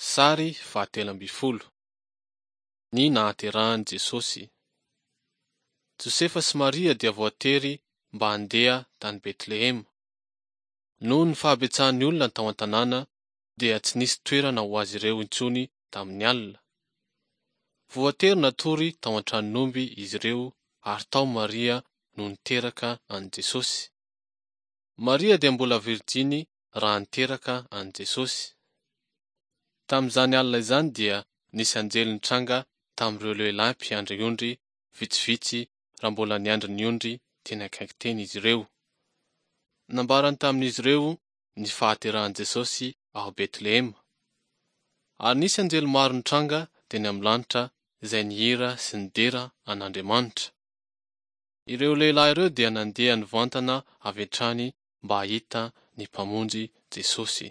Sary fahatelo ambin'ny folo. Ny nahaterahan'i Jesosy. Josefa sy Maria dia voatery mba handeha tany Betlehema. Noho ny fahabetsahan'ny olona tao an-tanàna dia tsy nisy toerana ho azy ireo intsony tamin'ny alina. Voatery natory tao an-tranon'omby izy ireo ary tao Maria no niteraka an'i Jesosy. Maria dia mbola virjiny raha niteraka an'i Jesosy. Tamin'izany alina izany dia nisy anjely nitranga tamin'ireo lehilahy mpiandry ondry vitsivitsy raha mbola niandry ny ondry teny akaiky teny izy ireo. Nambarany tamin'izy ireo ny fahaterahan'i Jesosy ao Betlehema. Ary nisy anjely maro nitranga teny amin'ny lanitra izay nihira sy nidera an'Andriamanitra. Ireo lehilahy ireo dia nandeha nivantana avy hatrany mba hahita ny Mpamonjy Jesosy.